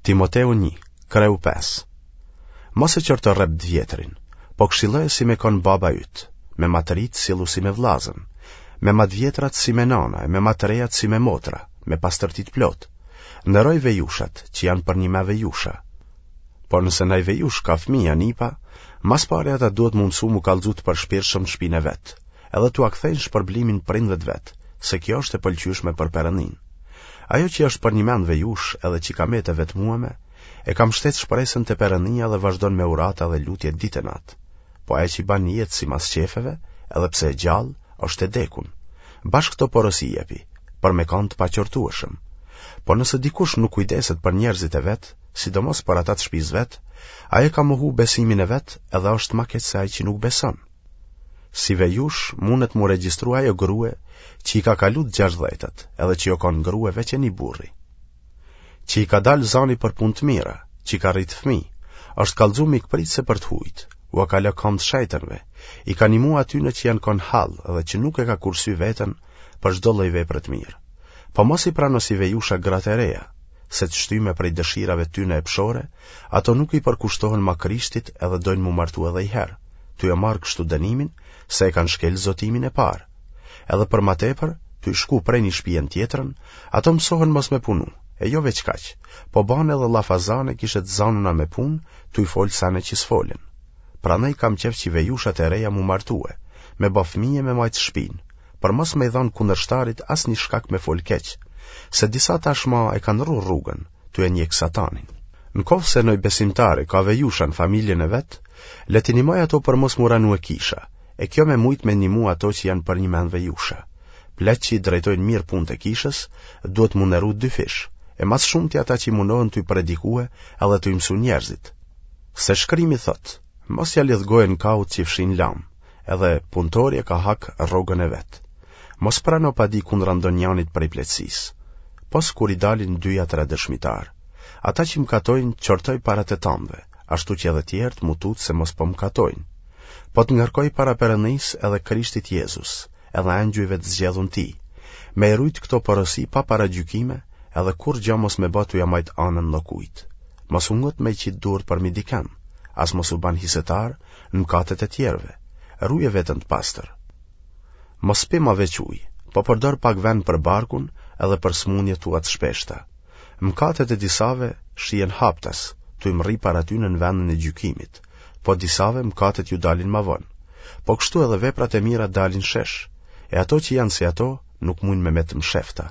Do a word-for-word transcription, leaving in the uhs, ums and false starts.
Timoteu një, kreu pesë. Mos e qorto rreptë të vjetrin, po këshilloje si me kon baba yt, me ma të ritë sillu si me vllazën, me ma të vjetrat si me nana e me ma të rejat si me motra, me pastërti të plotë. Nderoj vejushat, që janë përnjime vejusha. Por nëse naj vejushë ka fëmijë a nipa, ma s'pari ata duhet m'u mësu m'u kallxu të përshpirtshëm në shpinë e vet, edhe t'ua kthejnë shpërblimin prindve të vet, se kjo është e pëlqyeshme për Perëndinë. Ajo që është përnjimend vejushë edhe që ka metë e vetmueme, e ka mshtet shpresën te Perëndia dhe vazhdon me urata dhe lutje ditë e natë. Po ajo që ban jetë simas qefeve, edhe pse e gjallë, është e dekun. Bash këto porosi jepi, për me kanë të paqortueshëm. Po nëse dikush nuk kujdeset për njerëzit e vet, sidomos për ata të shtëpisë vet, ai e ka mohu besimin e vet edhe është ma keq se ai që nuk beson. Si vejushë mundet m'u regjistru ajo grue që i ka kalu të gjashtëdhjetat, edhe që o kanë grue veç e një burri. Që i ka dalë zani për punë të mira, që i ka rritë fëmijë, është kallxu mikpritëse për të hujt, ua ka lë kamët shejtënve, i ka nimu atyne që janë kon n'hall dhe që nuk e ka kursy veten për çdo lloj vepre të mirë. Po mos i prano si vejusha gratë e reja, se të shtyme prej dëshirave tyne epshore, ato nuk i përkushtohen ma Krishtit edhe dojnë m'u martu edhe i herë, tu e marrë kështu dënimin se e kanë shkel zotimin e parë. Edhe për ma tepër, tu i shku prej një shpije në tjetrën, ato mësohen mos me punu, e jo veç kaq, po banë edhe llafazane kishe të zanuna me punë, tu i folë sene që s'folen. Prandaj kam qef që vejushat e reja m'u martue, me ba fëmijë e me majtë shpinë, për mos me i dhanë kundërshtarit asnjë shkak me folë keq, se disa tashma e kanë ndrru rrugën, tu e njek satanin. Në koftë se noj besimtari ka vejusha në familjen e vet, le t'i nimojë ato për mos m'u ranue kisha, e kjo me mujt me nimu ato që janë përnjimend vejusha. Pleqtë që i drejtojnë mirë punët e kishës, duhet m'u nderu dyfish, e ma së shumti ata që munohen tuj predikue edhe tuj mësu njerëzit. Se shkrimi thotë, mos ja lidh gojën kaut që fshin lamë, edhe punëtori e ka hak rrogën e vet. Mos prano padi kundra ndonjanit prej pleqësisë, pos kur i dalin dy a tre dëshmitarë. Ata që mëkatojnë, qortoj para të tanëve, ashtu që edhe tjerët m'u tutë se mos po mëkatojnë. Po të ngarkoj para Perëndisë edhe Krishtit Jezus, edhe engjujve të zgjedhun tij, me i rujt këto porosi pa paragjykime, edhe kurrgja mos me ba tu ja majt anën ndokujt. Mos u ngut me i qit durt përmi diken, as mos u ban hisetar në mëkatet e tjerëve. Ruje veten të pastër. Mos pi ma veç ujë, po përdor pak vend për barkun edhe për sëmundjet tua të shpeshta. Mëkatet e disave shihen haptas, tuj mrri para tyne në vendin e gjykimit, po disave mëkatet ju dalin ma vonë. Po kështu edhe veprat e mira dalin shesh, e ato që janë si ato nuk mujnë me met mshefta.